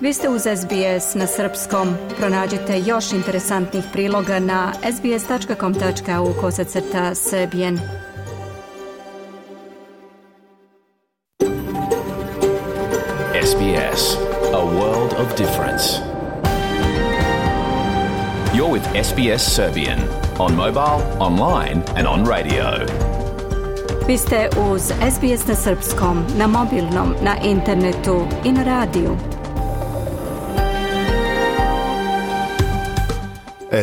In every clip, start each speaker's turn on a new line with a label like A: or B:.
A: Vi ste uz SBS na srpskom. Pronađite još interesantnih priloga na sbs.com.au/serbian.
B: SBS, a world of difference. You're with SBS Serbian on mobile, online and on radio.
A: Vi ste uz SBS na srpskom, na mobilnom, na internetu i na radiju.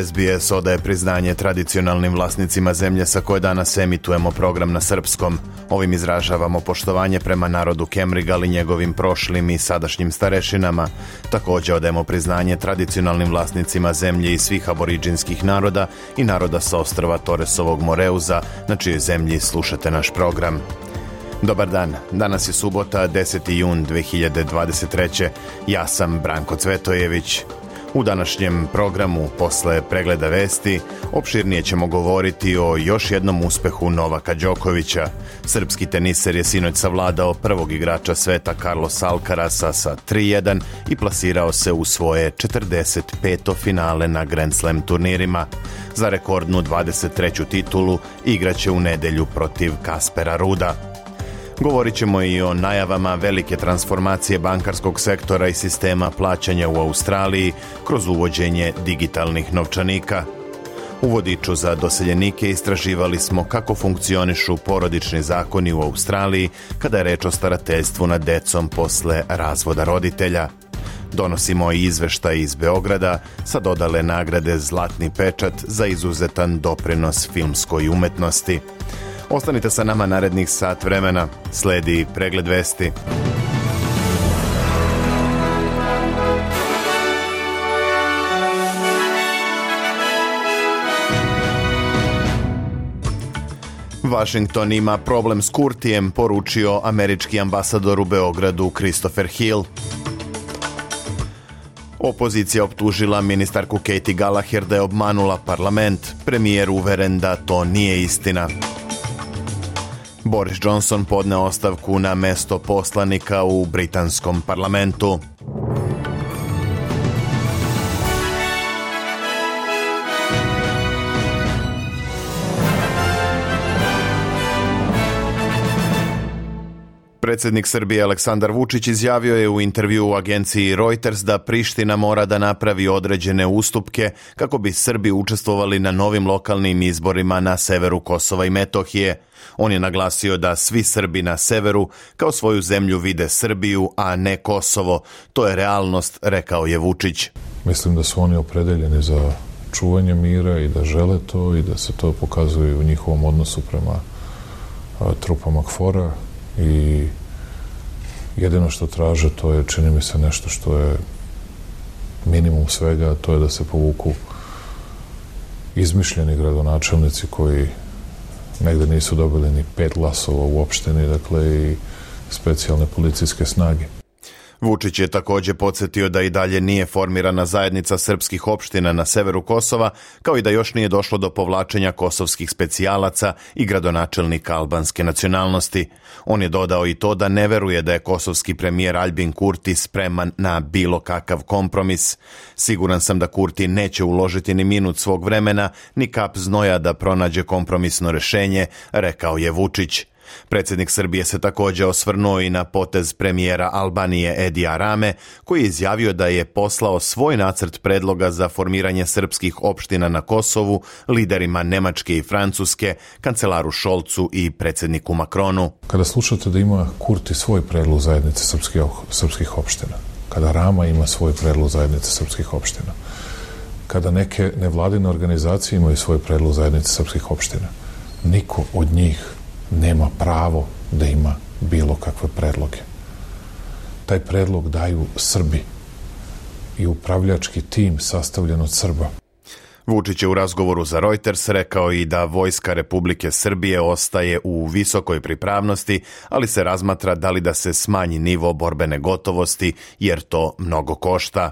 C: SBS odaje priznanje tradicionalnim vlasnicima zemlje sa koje danas emitujemo program na srpskom. Ovim izražavamo poštovanje prema narodu Kemrigal i njegovim prošlim i sadašnjim starešinama. Također odajemo priznanje tradicionalnim vlasnicima zemlje i svih aboriđinskih naroda i naroda sa ostrva Torresovog Moreuza, na čijoj zemlji slušate naš program. Dobar dan, danas je subota, 10. jun 2023. Ja sam Branko Cvetojević. U današnjem programu, posle pregleda vesti, opširnije ćemo govoriti o još jednom uspehu Novaka Đokovića. Srpski teniser je sinoć savladao prvog igrača sveta Carlosa Alcarasa sa 3-1 i plasirao se u svoje 45. finale na Grand Slam turnirima. Za rekordnu 23. titulu igraće u nedelju protiv Kaspera Ruda. Govorit ćemo i o najavama velike transformacije bankarskog sektora i sistema plaćanja u Australiji kroz uvođenje digitalnih novčanika. U vodiču za doseljenike istraživali smo kako funkcionišu porodični zakoni u Australiji kada je reč o starateljstvu nad decom posle razvoda roditelja. Donosimo i izveštaj iz Beograda sa dodale nagrade Zlatni pečat za izuzetan doprinos filmskoj umetnosti. Ostanite sa nama narednih sat vremena. Sledi pregled vesti. Washington ima problem s Kurtijem, poručio američki ambasador u Beogradu Christopher Hill. Opozicija optužila ministarku Katie Gallagher da je obmanula parlament. Premijer uveren da to nije istina. Boris Johnson podneo ostavku na mesto poslanika u britanskom parlamentu. Predsjednik Srbije Aleksandar Vučić izjavio je u intervjuu u agenciji Reuters da Priština mora da napravi određene ustupke kako bi Srbi učestvovali na novim lokalnim izborima na severu Kosova i Metohije. On je naglasio da svi Srbi na severu kao svoju zemlju vide Srbiju, a ne Kosovo. To je realnost, rekao je Vučić.
D: Mislim da su oni opredeljeni za čuvanje mira i da žele to i da se to pokazuje u njihovom odnosu prema trupama KFOR-a. I jedino što traže, to je, čini mi se, nešto što je minimum svega, to je da se povuku izmišljeni gradonačelnici koji negde nisu dobili ni 5 glasova u opštini, dakle i specijalne policijske snage.
C: Vučić je također podsjetio da i dalje nije formirana zajednica srpskih opština na severu Kosova, kao i da još nije došlo do povlačenja kosovskih specijalaca i gradonačelnika albanske nacionalnosti. On je dodao i to da ne veruje da je kosovski premijer Albin Kurti spreman na bilo kakav kompromis. Siguran sam da Kurti neće uložiti ni minut svog vremena, ni kap znoja da pronađe kompromisno rešenje, rekao je Vučić. Predsjednik Srbije se također osvrnuo i na potez premijera Albanije Edija Rame, koji je izjavio da je poslao svoj nacrt predloga za formiranje srpskih opština na Kosovu liderima Nemačke i Francuske, kancelaru Šolcu i predsjedniku Makronu.
D: Kada slušate da ima Kurti svoj predlog zajednice srpskih opština, kada Rama ima svoj predlog zajednice srpskih opština, kada neke nevladine organizacije imaju svoj predlog zajednice srpskih opština, niko od njih nema pravo da ima bilo kakve predloge. Taj predlog daju Srbi i upravljački tim sastavljen od Srba.
C: Vučić je u razgovoru za Reuters rekao i da Vojska Republike Srbije ostaje u visokoj pripravnosti, ali se razmatra da li da se smanji nivo borbene gotovosti, jer to mnogo košta.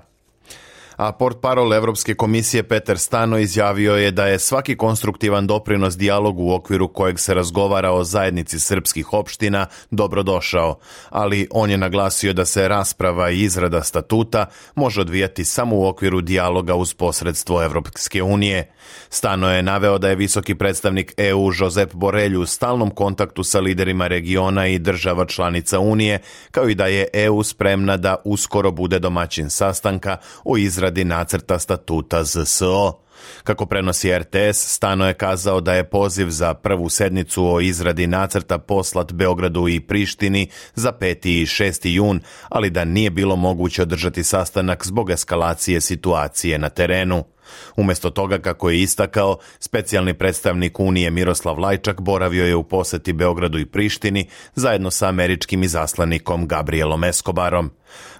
C: A portparol Evropske komisije Peter Stano izjavio je da je svaki konstruktivan doprinos dijalogu u okviru kojeg se razgovara o zajednici srpskih opština dobrodošao, ali on je naglasio da se rasprava i izrada statuta može odvijati samo u okviru dijaloga uz posredstvo Evropske unije. Stano je naveo da je visoki predstavnik EU Josep Borrell u stalnom kontaktu sa liderima regiona i država članica Unije, kao i da je EU spremna da uskoro bude domaćin sastanka o izradi nacrta statuta ZSO. Kako prenosi RTS, Stano je kazao da je poziv za prvu sednicu o izradi nacrta poslat Beogradu i Prištini za 5. i 6. jun, ali da nije bilo moguće održati sastanak zbog eskalacije situacije na terenu. Umjesto toga, kako je istakao, specijalni predstavnik Unije Miroslav Lajčak boravio je u poseti Beogradu i Prištini zajedno sa američkim izaslanikom Gabrielom Escobarom.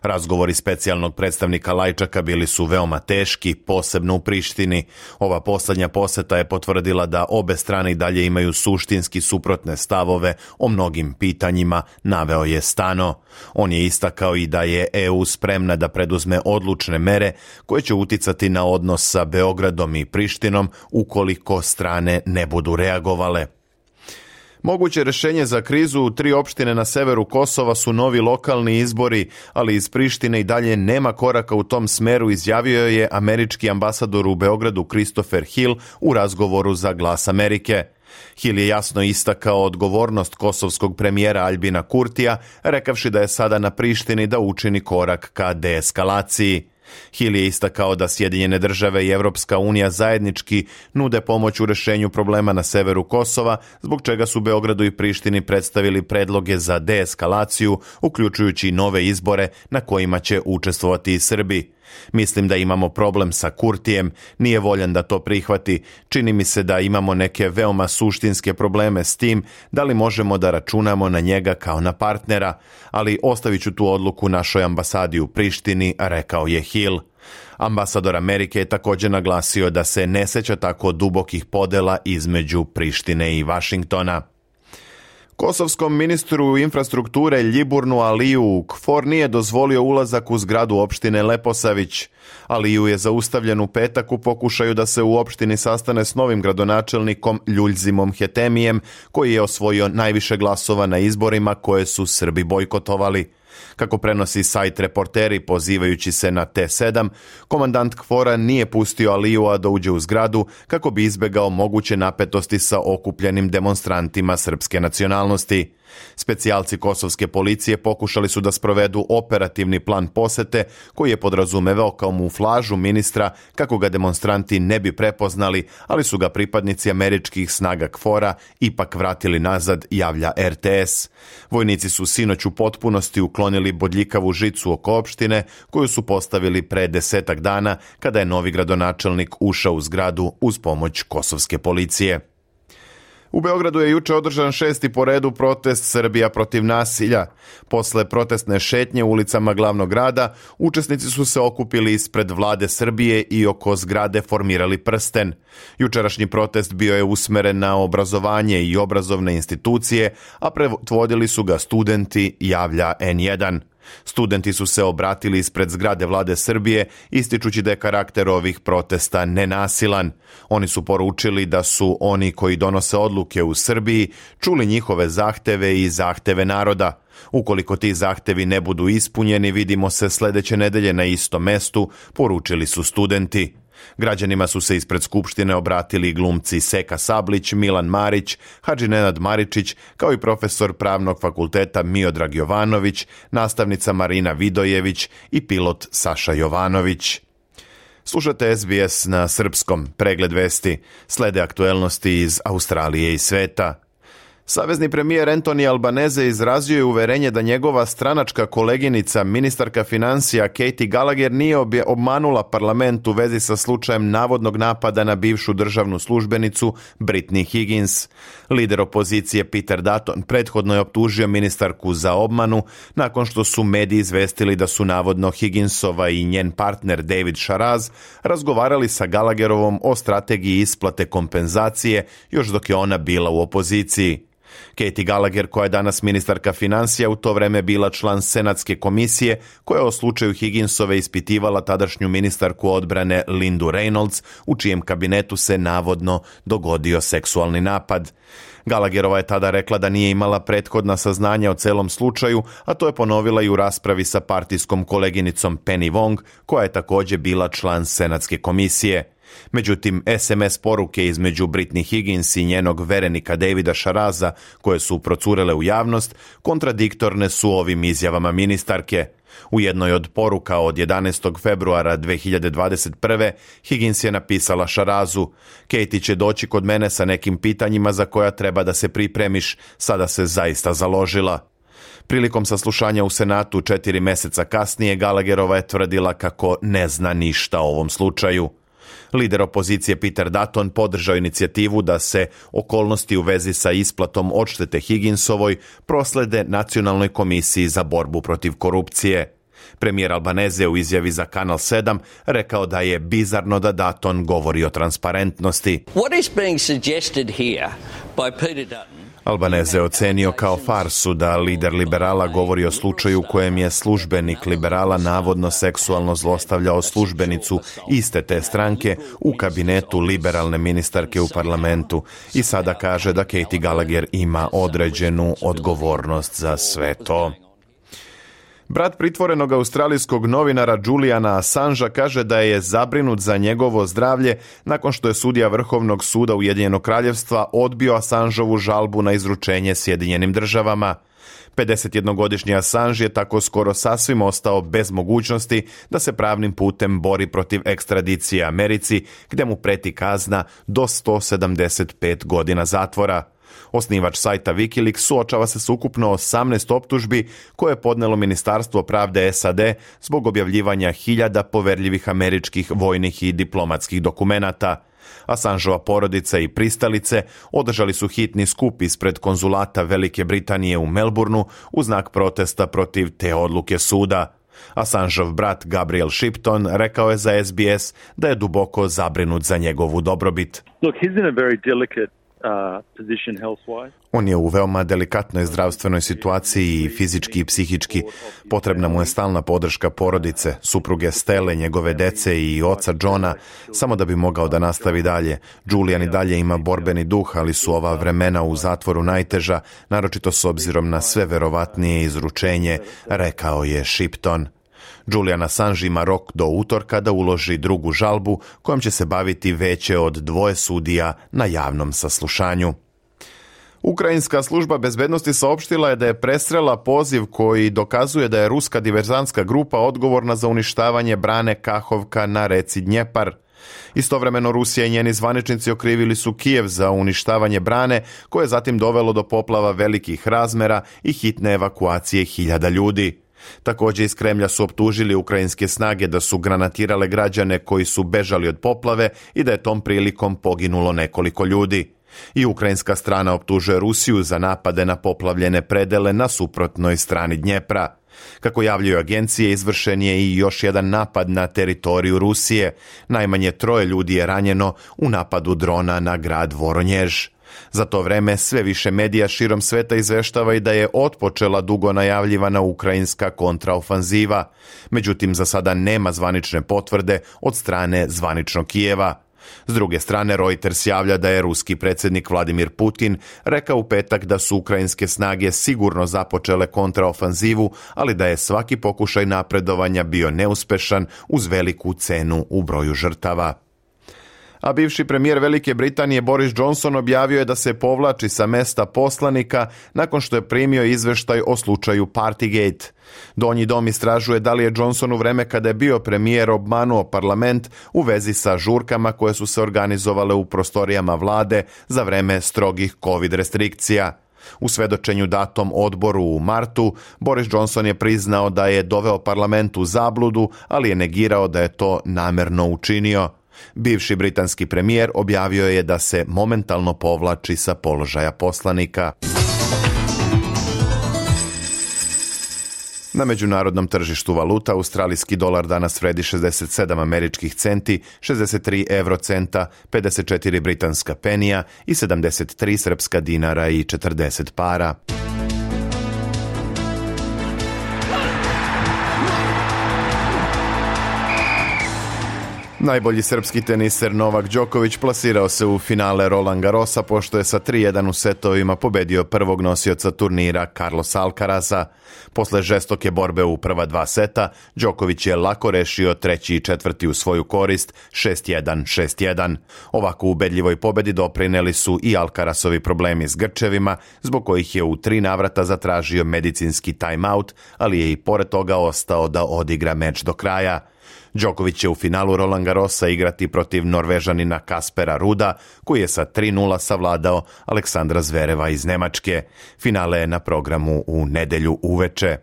C: Razgovori specijalnog predstavnika Lajčaka bili su veoma teški, posebno u Prištini. Ova posljednja poseta je potvrdila da obe strane i dalje imaju suštinski suprotne stavove o mnogim pitanjima, naveo je Stano. On je istakao i da je EU spremna da preduzme odlučne mere koje će uticati na odnos sa Beogradom i Prištinom ukoliko strane ne budu reagovale. Moguće rješenje za krizu u 3 opštine na severu Kosova su novi lokalni izbori, ali iz Prištine i dalje nema koraka u tom smeru, izjavio je američki ambasador u Beogradu Christopher Hill u razgovoru za Glas Amerike. Hill je jasno istakao odgovornost kosovskog premijera Aljbina Kurtija, rekavši da je sada na Prištini da učini korak ka deeskalaciji. Hill je istakao da Sjedinjene države i Evropska unija zajednički nude pomoć u rješenju problema na severu Kosova, zbog čega su Beogradu i Prištini predstavili predloge za deeskalaciju, uključujući i nove izbore na kojima će učestvovati i Srbi. Mislim da imamo problem sa Kurtijem, nije voljan da to prihvati. Čini mi se da imamo neke veoma suštinske probleme s tim, da li možemo da računamo na njega kao na partnera, ali ostavit ću tu odluku našoj ambasadi u Prištini, rekao je Hill. Ambasador Amerike je također naglasio da se ne sjeća tako dubokih podela između Prištine i Vašingtona. Kosovskom ministru infrastrukture Ljiburnu Aliju KFOR nije dozvolio ulazak u zgradu opštine Leposavić. Aliju je zaustavljen u petak u pokušaju da se u opštini sastane s novim gradonačelnikom Ljuljzimom Hetemijem, koji je osvojio najviše glasova na izborima koje su Srbi bojkotovali. Kako prenosi sajt Reporteri pozivajući se na T7, komandant KFOR-a nije pustio Alijua da uđe u zgradu kako bi izbegao moguće napetosti sa okupljenim demonstrantima srpske nacionalnosti. Specijalci kosovske policije pokušali su da sprovedu operativni plan posete koji je podrazumevao kamuflažu ministra kako ga demonstranti ne bi prepoznali, ali su ga pripadnici američkih snaga KFOR-a ipak vratili nazad, javlja RTS. Vojnici su sinoć u potpunosti uklonili bodljikavu žicu oko opštine koju su postavili pre 10 dana kada je novi gradonačelnik ušao u zgradu uz pomoć kosovske policije. U Beogradu je juče održan 6. po redu protest Srbija protiv nasilja. Posle protestne šetnje ulicama glavnog grada, učesnici su se okupili ispred vlade Srbije i oko zgrade formirali prsten. Jučerašnji protest bio je usmeren na obrazovanje i obrazovne institucije, a predvodili su ga studenti, javlja N1. Studenti su se obratili ispred zgrade vlade Srbije, ističući da je karakter ovih protesta nenasilan. Oni su poručili da su oni koji donose odluke u Srbiji čuli njihove zahteve i zahteve naroda. Ukoliko ti zahtevi ne budu ispunjeni, vidimo se sljedeće nedelje na istom mestu, poručili su studenti. Građanima su se ispred Skupštine obratili glumci Seka Sablić, Milan Marić, Hadži Nenad Maričić, kao i profesor Pravnog fakulteta Miodrag Jovanović, nastavnica Marina Vidojević i pilot Saša Jovanović. Slušate SBS na srpskom, pregled vesti, slede aktuelnosti iz Australije i sveta. Savezni premijer Anthony Albanese izrazio je uverenje da njegova stranačka koleginica, ministarka financija Katie Gallagher, nije obmanula parlament u vezi sa slučajem navodnog napada na bivšu državnu službenicu Britney Higgins. Lider opozicije Peter Dutton prethodno je optužio ministarku za obmanu nakon što su mediji izvestili da su navodno Higginsova i njen partner David Sharaz razgovarali sa Gallagherovom o strategiji isplate kompenzacije još dok je ona bila u opoziciji. Katie Gallagher, koja je danas ministarka financija, u to vreme bila član Senatske komisije koja je o slučaju Higginsove ispitivala tadašnju ministarku odbrane Lindu Reynolds, u čijem kabinetu se navodno dogodio seksualni napad. Gallagherova je tada rekla da nije imala prethodna saznanja o celom slučaju, a to je ponovila i u raspravi sa partijskom koleginicom Penny Wong, koja je također bila član Senatske komisije. Međutim, SMS poruke između Britney Higgins i njenog verenika Davida Sharaza, koje su procurele u javnost, kontradiktorne su ovim izjavama ministarke. U jednoj od poruka od 11. februara 2021. Higgins je napisala Sharazu: Katie će doći kod mene sa nekim pitanjima za koja treba da se pripremiš, sada se zaista založila. Prilikom saslušanja u Senatu 4 meseca kasnije, Gallagherova je tvrdila kako ne zna ništa o ovom slučaju. Lider opozicije Peter Dutton podržao inicijativu da se okolnosti u vezi sa isplatom odštete Higginsovoj proslede Nacionalnoj komisiji za borbu protiv korupcije. Premijer Albanese u izjavi za Kanal 7 rekao da je bizarno da Dutton govori o transparentnosti.
E: What is being suggested here by Peter Dutton?
C: Albanese je ocenio kao farsu da lider liberala govori o slučaju u kojem je službenik liberala navodno seksualno zlostavljao službenicu iste te stranke u kabinetu liberalne ministarke u parlamentu i sada kaže da Katie Gallagher ima određenu odgovornost za sve to. Brat pritvorenog australijskog novinara Juliana Assangea kaže da je zabrinut za njegovo zdravlje nakon što je sudija Vrhovnog suda Ujedinjenog kraljevstva odbio Assangeovu žalbu na izručenje Sjedinjenim državama. 51-godišnji Assange je tako skoro sasvim ostao bez mogućnosti da se pravnim putem bori protiv ekstradicije Americi, gdje mu preti kazna do 175 godina zatvora. Osnivač sajta Wikileaks suočava se s ukupno 18 optužbi koje je podnelo Ministarstvo pravde SAD zbog objavljivanja hiljada poverljivih američkih vojnih i diplomatskih dokumenata. Assangeova porodica i pristalice održali su hitni skup ispred konzulata Velike Britanije u Melbourneu u znak protesta protiv te odluke suda. Assangeov brat Gabriel Shipton rekao je za SBS da je duboko zabrinut za njegovu dobrobit.
F: Look, he's in a very delicate position health-wise.
C: On je u veoma delikatnoj zdravstvenoj situaciji i fizički i psihički. Potrebna mu je stalna podrška porodice, supruge Stelle, njegove dece i oca Johna, samo da bi mogao da nastavi dalje. Julian i dalje ima borbeni duh, ali su ova vremena u zatvoru najteža, naročito s obzirom na sve verovatnije izručenje, rekao je Shipton. Julian Assange ima rok do utorka da uloži drugu žalbu kojom će se baviti veće od 2 sudija na javnom saslušanju. Ukrajinska služba bezbednosti saopštila je da je presrela poziv koji dokazuje da je ruska diverzantska grupa odgovorna za uništavanje brane Kahovka na reci Dnjepar. Istovremeno Rusija i njeni zvaničnici okrivili su Kijev za uništavanje brane, koje je zatim dovelo do poplava velikih razmera i hitne evakuacije hiljada ljudi. Također iz Kremlja su optužili ukrajinske snage da su granatirale građane koji su bežali od poplave i da je tom prilikom poginulo nekoliko ljudi. I ukrajinska strana optužuje Rusiju za napade na poplavljene predele na suprotnoj strani Dnjepra. Kako javljaju agencije, izvršen je i još jedan napad na teritoriju Rusije. Najmanje 3 ljudi je ranjeno u napadu drona na grad Voronjež. Za to vreme sve više medija širom sveta izveštava i da je otpočela dugo najavljivana ukrajinska kontraofanziva. Međutim, za sada nema zvanične potvrde od strane zvaničnog Kijeva. S druge strane, Reuters javlja da je ruski predsjednik Vladimir Putin rekao u petak da su ukrajinske snage sigurno započele kontraofanzivu, ali da je svaki pokušaj napredovanja bio neuspešan uz veliku cenu u broju žrtava. A bivši premijer Velike Britanije Boris Johnson objavio je da se povlači sa mesta poslanika nakon što je primio izveštaj o slučaju Partygate. Donji dom istražuje da li je Johnson u vreme kada je bio premijer obmanuo parlament u vezi sa žurkama koje su se organizovale u prostorijama vlade za vreme strogih COVID restrikcija. U svedočenju datom odboru u martu, Boris Johnson je priznao da je doveo parlament u zabludu, ali je negirao da je to namerno učinio. Bivši britanski premijer objavio je da se momentalno povlači sa položaja poslanika. Na međunarodnom tržištu valuta australijski dolar danas vredi 67 američkih centi, 63 eurocenta, 54 britanska penija i 73 srpska dinara i 40 para. Najbolji srpski teniser Novak Đoković plasirao se u finale Roland Garrosa pošto je sa 3-1 u setovima pobedio prvog nosioca turnira Carlosa Alcaraza. Posle žestoke borbe u prva dva seta, Đoković je lako rešio treći i četvrti u svoju korist 6-1, 6-1. Ovako ubedljivoj pobedi doprineli su i Alcarazovi problemi s grčevima, zbog kojih je u 3 navrata zatražio medicinski timeout, ali je i pored toga ostao da odigra meč do kraja. Đoković će u finalu Roland Garrosa igrati protiv Norvežanina Kaspera Ruda, koji je sa 3-0 savladao Aleksandra Zvereva iz Nemačke. Finale je na programu u nedelju uveče.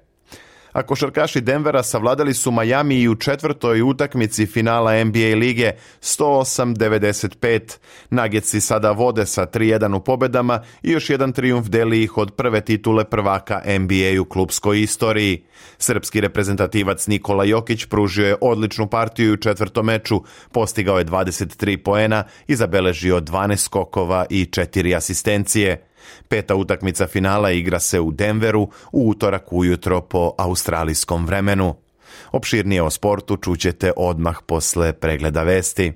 C: A košarkaši Denvera savladali su Miami i u četvrtoj utakmici finala NBA lige 108-95. Nuggetsi sada vode sa 3-1 u pobedama i još jedan trijumf deli ih od prve titule prvaka NBA u klupskoj istoriji. Srpski reprezentativac Nikola Jokić pružio je odličnu partiju u četvrtom meču, postigao je 23 poena i zabeležio 12 skokova i 4 asistencije. Peta utakmica finala igra se u Denveru u utorak ujutro po australijskom vremenu. Opširnije o sportu čućete odmah posle pregleda vesti.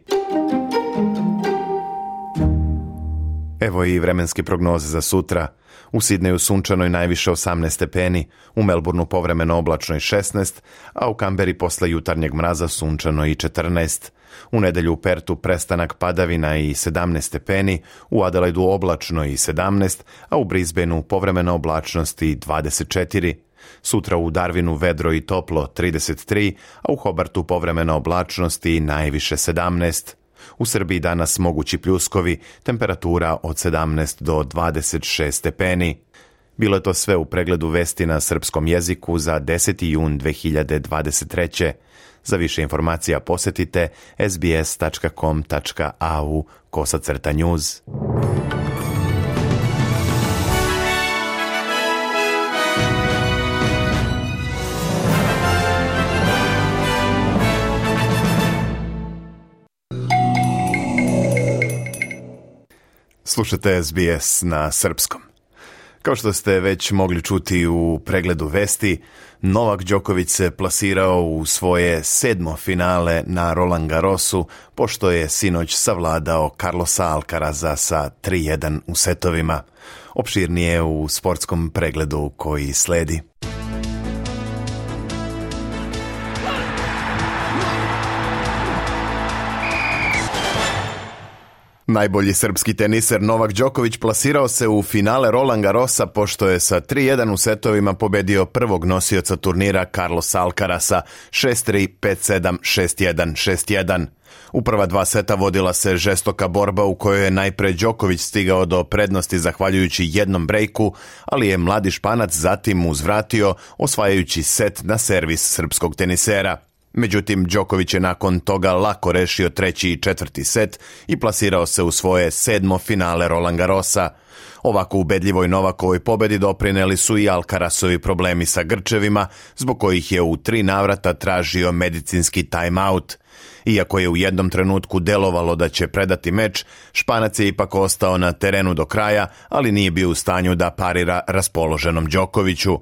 C: Evo i vremenske prognoze za sutra. U Sidneju sunčano i najviše 18 stepeni, u Melbourneu povremeno oblačno i 16, a u Kamberi posle jutarnjeg mraza sunčano i 14. U nedelju u Pertu prestanak padavina i 17 stepeni, u Adelaidu oblačno i 17, a u Brisbaneu povremena oblačnost i 24. Sutra u Darwinu vedro i toplo 33, a u Hobartu povremena oblačnost i najviše 17. U Srbiji danas mogući pljuskovi, temperatura od 17 do 26 stepeni. Bilo je to sve u pregledu vesti na srpskom jeziku za 10. jun 2023. Za više informacija posetite sbs.com.au/news. Slušate SBS na srpskom. Kao što ste već mogli čuti u pregledu vesti, Novak Đoković se plasirao u svoje 7. finale na Roland Garrosu, pošto je sinoć savladao Carlosa Alcaraza sa 3-1 u setovima. Opširnije u sportskom pregledu koji sledi. Najbolji srpski teniser Novak Đoković plasirao se u finale Roland Garrosa pošto je sa 3-1 u setovima pobedio prvog nosioca turnira Carlosa Alcaraza 6-3, 5-7, 6-1, 6-1. U prva dva seta vodila se žestoka borba u kojoj je najpre Đoković stigao do prednosti zahvaljujući jednom brejku, ali je mladi Španac zatim uzvratio osvajajući set na servis srpskog tenisera. Međutim, Đoković je nakon toga lako rešio treći i četvrti set i plasirao se u svoje 7. finale Roland Garrosa. Ovako ubedljivoj Novakovoj pobedi doprineli su i Alcarazovi problemi sa grčevima, zbog kojih je u 3 navrata tražio medicinski timeout. Iako je u jednom trenutku delovalo da će predati meč, Španac je ipak ostao na terenu do kraja, ali nije bio u stanju da parira raspoloženom Đokoviću.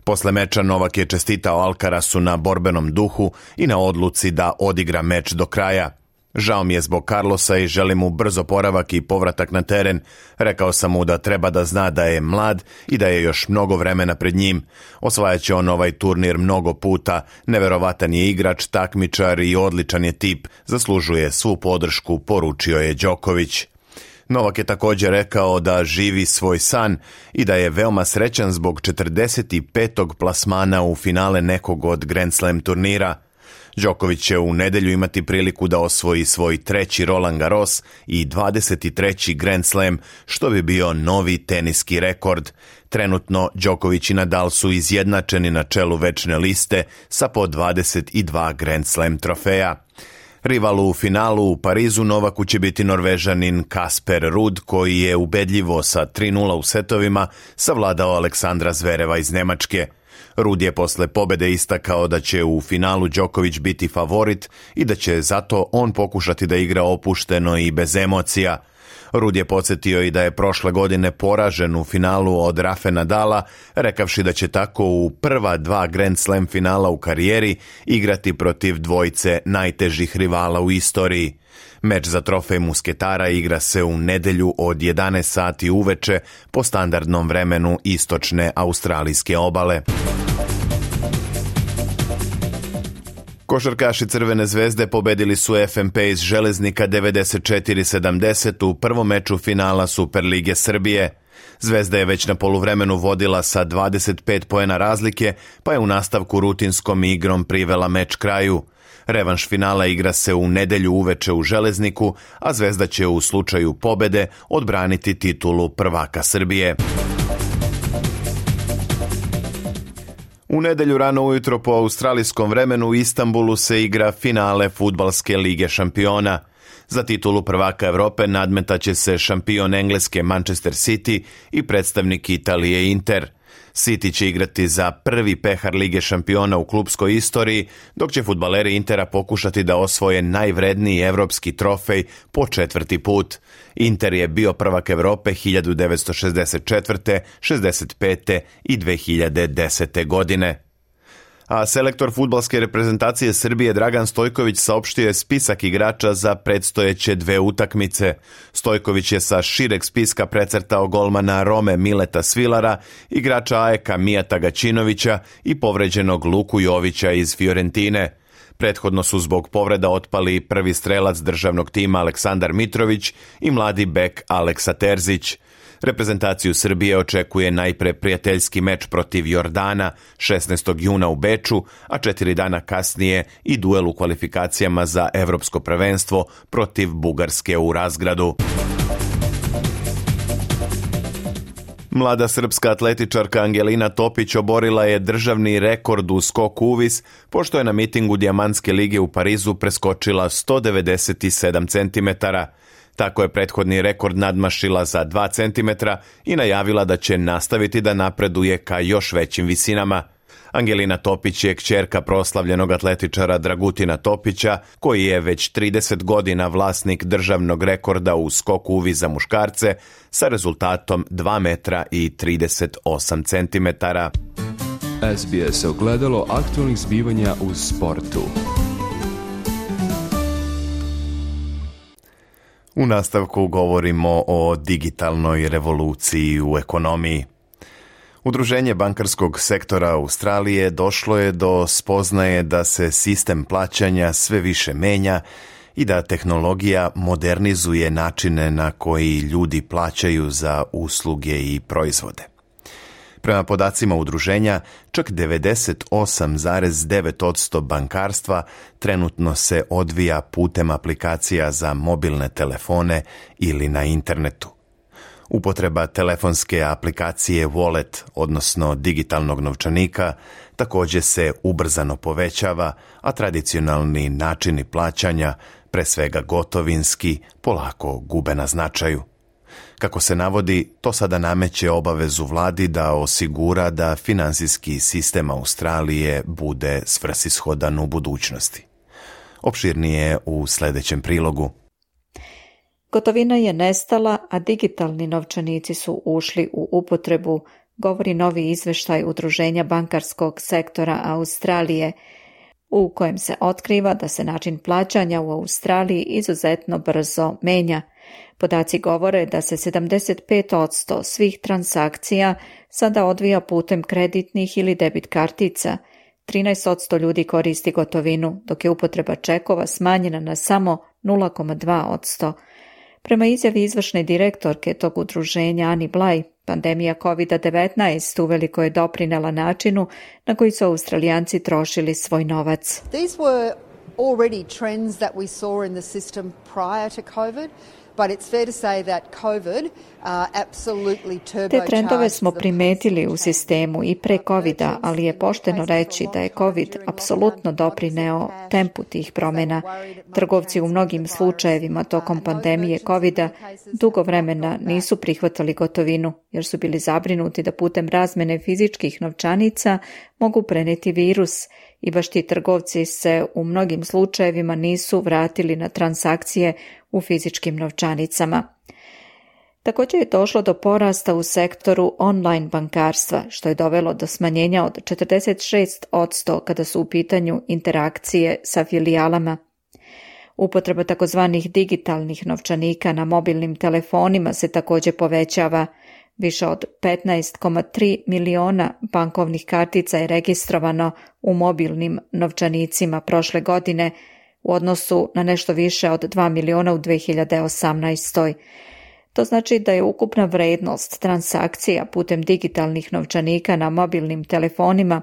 C: Posle meča Novak je čestitao Alcarazu na borbenom duhu i na odluci da odigra meč do kraja. Žao mi je zbog Carlosa i želim mu brz oporavak i povratak na teren. Rekao sam mu da treba da zna da je mlad i da je još mnogo vremena pred njim. Osvajaće on ovaj turnir mnogo puta, neverovatan je igrač, takmičar i odličan je tip, zaslužuje svu podršku, poručio je Đoković. Novak je također rekao da živi svoj san i da je veoma srećan zbog 45. plasmana u finale nekog od Grand Slam turnira. Đoković će u nedelju imati priliku da osvoji svoj 3. Roland Garros i 23. Grand Slam, što bi bio novi teniski rekord. Trenutno Đoković i Nadal su izjednačeni na čelu večne liste sa po 22 Grand Slam trofeja. Rival u finalu u Parizu Novaku će biti Norvežanin Kasper Ruud, koji je ubedljivo sa 3-0 u setovima savladao Aleksandra Zvereva iz Nemačke. Ruud je posle pobede istakao da će u finalu Đoković biti favorit i da će zato on pokušati da igra opušteno i bez emocija. Ruud je podsjetio i da je prošle godine poražen u finalu od Rafe Nadala, rekavši da će tako u prva 2 Grand Slam finala u karijeri igrati protiv dvojice najtežih rivala u istoriji. Meč za trofej musketara igra se u nedelju od 11 sati uveče po standardnom vremenu istočne australijske obale. Košarkaši Crvene zvezde pobedili su FNP iz Železnika 94-70 u prvom meču finala Superlige Srbije. Zvezda je već na poluvremenu vodila sa 25 poena razlike, pa je u nastavku rutinskom igrom privela meč kraju. Revanš finala igra se u nedelju uveče u Železniku, a Zvezda će u slučaju pobede odbraniti titulu prvaka Srbije. U nedelju rano ujutro po australijskom vremenu u Istanbulu se igra finale Fudbalske lige šampiona. Za titulu prvaka Evrope nadmetaće se šampion Engleske Manchester City i predstavnik Italije Inter. City će igrati za prvi pehar Lige šampiona u klupskoj istoriji, dok će fudbaleri Intera pokušati da osvoje najvredniji evropski trofej po 4. put. Inter je bio prvak Evrope 1964., 65. i 2010. godine. A selektor fudbalske reprezentacije Srbije Dragan Stojković saopštio je spisak igrača za predstojeće 2 utakmice. Stojković je sa šireg spiska precrtao golmana Rome Mileta Svilara, igrača AEK-a Mijata Gaćinovića i povređenog Luku Jovića iz Fiorentine. Prethodno su zbog povreda otpali prvi strelac državnog tima Aleksandar Mitrović i mladi bek Aleksa Terzić. Reprezentaciju Srbije očekuje najpre prijateljski meč protiv Jordana 16. juna u Beču, a 4 dana kasnije i duel u kvalifikacijama za evropsko prvenstvo protiv Bugarske u Razgradu. Mlada srpska atletičarka Angelina Topić oborila je državni rekord u skoku uvis, pošto je na mitingu Dijamantske lige u Parizu preskočila 197 cm. Tako je prethodni rekord nadmašila za 2 cm i najavila da će nastaviti da napreduje ka još većim visinama. Angelina Topić je kćerka proslavljenog atletičara Dragutina Topića, koji je već 30 godina vlasnik državnog rekorda u skoku uvis za muškarce sa rezultatom 2 metra i 38 cm.
G: SBS ogledalo aktualnih zbivanja u sportu.
C: U nastavku govorimo o digitalnoj revoluciji u ekonomiji. Udruženje bankarskog sektora Australije došlo je do spoznaje da se sistem plaćanja sve više menja i da tehnologija modernizuje načine na koji ljudi plaćaju za usluge i proizvode. Prema podacima udruženja, čak 98,9% bankarstva trenutno se odvija putem aplikacija za mobilne telefone ili na internetu. Upotreba telefonske aplikacije Wallet, odnosno digitalnog novčanika, također se ubrzano povećava, a tradicionalni načini plaćanja, pre svega gotovinski, polako gube na značaju. Kako se navodi, to sada nameće obavezu vladi da osigura da finansijski sistem Australije bude svrsishodan u budućnosti. Opširnije u sljedećem prilogu.
A: Gotovina je nestala, a digitalni novčanici su ušli u upotrebu, govori novi izveštaj Udruženja bankarskog sektora Australije, u kojem se otkriva da se način plaćanja u Australiji izuzetno brzo menja. Podaci govore da se 75% svih transakcija sada odvija putem kreditnih ili debit kartica. 13% ljudi koristi gotovinu, dok je upotreba čekova smanjena na samo 0,2%. Prema izjavi izvršne direktorke tog udruženja Ani Blaj, pandemija COVID-19 uveliko je doprinela načinu na koji su Australijanci trošili svoj novac.
H: These were already trends that we saw in the system prior to COVID. But it's fair to say that COVID absolutely turbocharged.
A: Te trendove smo primetili u sistemu i pre COVID-a, ali je pošteno reći da je COVID apsolutno doprineo tempu tih promjena. Trgovci u mnogim slučajevima tokom pandemije COVID-a dugo vremena nisu prihvatali gotovinu jer su bili zabrinuti da putem razmene fizičkih novčanica mogu prenijeti virus i baš ti trgovci se u mnogim slučajevima nisu vratili na transakcije u fizičkim novčanicama. Također je došlo do porasta u sektoru online bankarstva, što je dovelo do smanjenja od 46% kada su u pitanju interakcije sa filijalama. Upotreba takozvanih digitalnih novčanika na mobilnim telefonima se također povećava. Više od 15,3 miliona bankovnih kartica je registrovano u mobilnim novčanicima prošle godine u odnosu na nešto više od 2 miliona u 2018. To znači da je ukupna vrednost transakcija putem digitalnih novčanika na mobilnim telefonima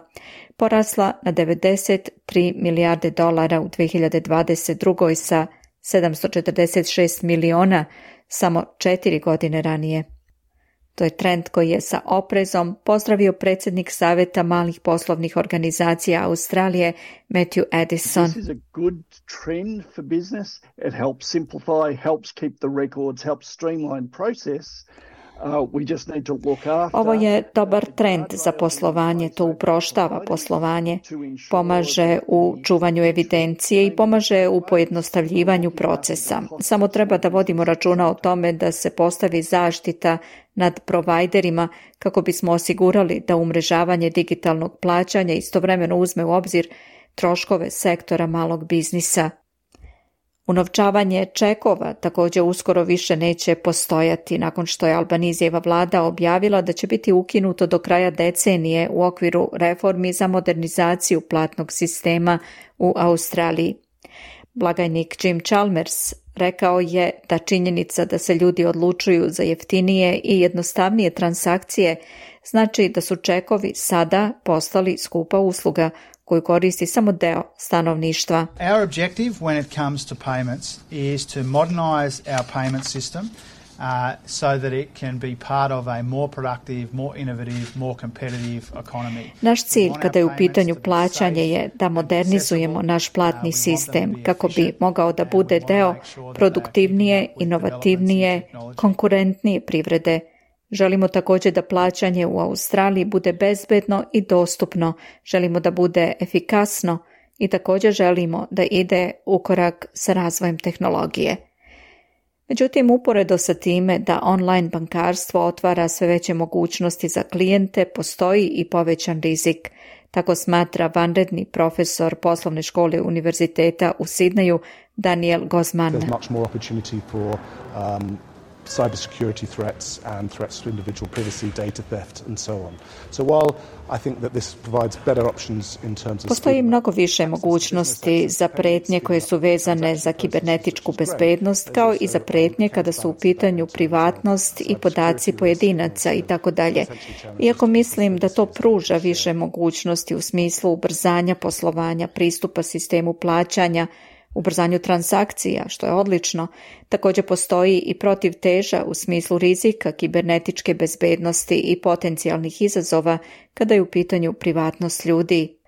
A: porasla na 93 milijarde dolara u 2022. sa 746 miliona samo 4 godine ranije. To je trend koji je sa oprezom pozdravio predsjednik Saveta malih poslovnih organizacija Australije Matthew Addison.
I: This is a good trend for business. It helps simplify, helps keep the records, helps streamline process.
A: Ovo je dobar trend za poslovanje, to uproštava poslovanje, pomaže u čuvanju evidencije i pomaže u pojednostavljivanju procesa. Samo treba da vodimo računa o tome da se postavi zaštita nad provajderima kako bismo osigurali da umrežavanje digitalnog plaćanja istovremeno uzme u obzir troškove sektora malog biznisa. Unovčavanje čekova također uskoro više neće postojati nakon što je Albanizijeva vlada objavila da će biti ukinuto do kraja decenije u okviru reformi za modernizaciju platnog sistema u Australiji. Blagajnik Jim Chalmers rekao je da činjenica da se ljudi odlučuju za jeftinije i jednostavnije transakcije znači da su čekovi sada postali skupa usluga koju koristi samo deo stanovništva.
J: Our objective when it comes to payments is to modernize our payment system so that it can be part of a more productive, more innovative, more competitive economy.
A: Naš cilj kada je u pitanju plaćanje je da modernizujemo naš platni sistem kako bi mogao da bude deo produktivnije, inovativnije, konkurentnije privrede. Želimo također da plaćanje u Australiji bude bezbedno i dostupno, želimo da bude efikasno i također želimo da ide u korak sa razvojem tehnologije. Međutim, uporedo sa time da online bankarstvo otvara sve veće mogućnosti za klijente, postoji i povećan rizik. Tako smatra vanredni profesor poslovne škole Univerziteta u Sidneju Daniel Gozman.
K: Cybersecurity threats and threats to individual privacy, data theft and so on. So while I think that this provides better options in terms of
A: Postoji mnogo više mogućnosti za prijetnje koje su vezane za kibernetičku bezbednost, kao i za prijetnje kada su u pitanju privatnost i podaci pojedinaca i tako dalje. Iako mislim da to pruža više mogućnosti u smislu ubrzanja poslovanja, pristupa sistemu plaćanja, ubrzanju transakcija, što je odlično, također postoji i protivteža u smislu rizika kibernetičke bezbednosti i potencijalnih izazova kada je u pitanju privatnost ljudi.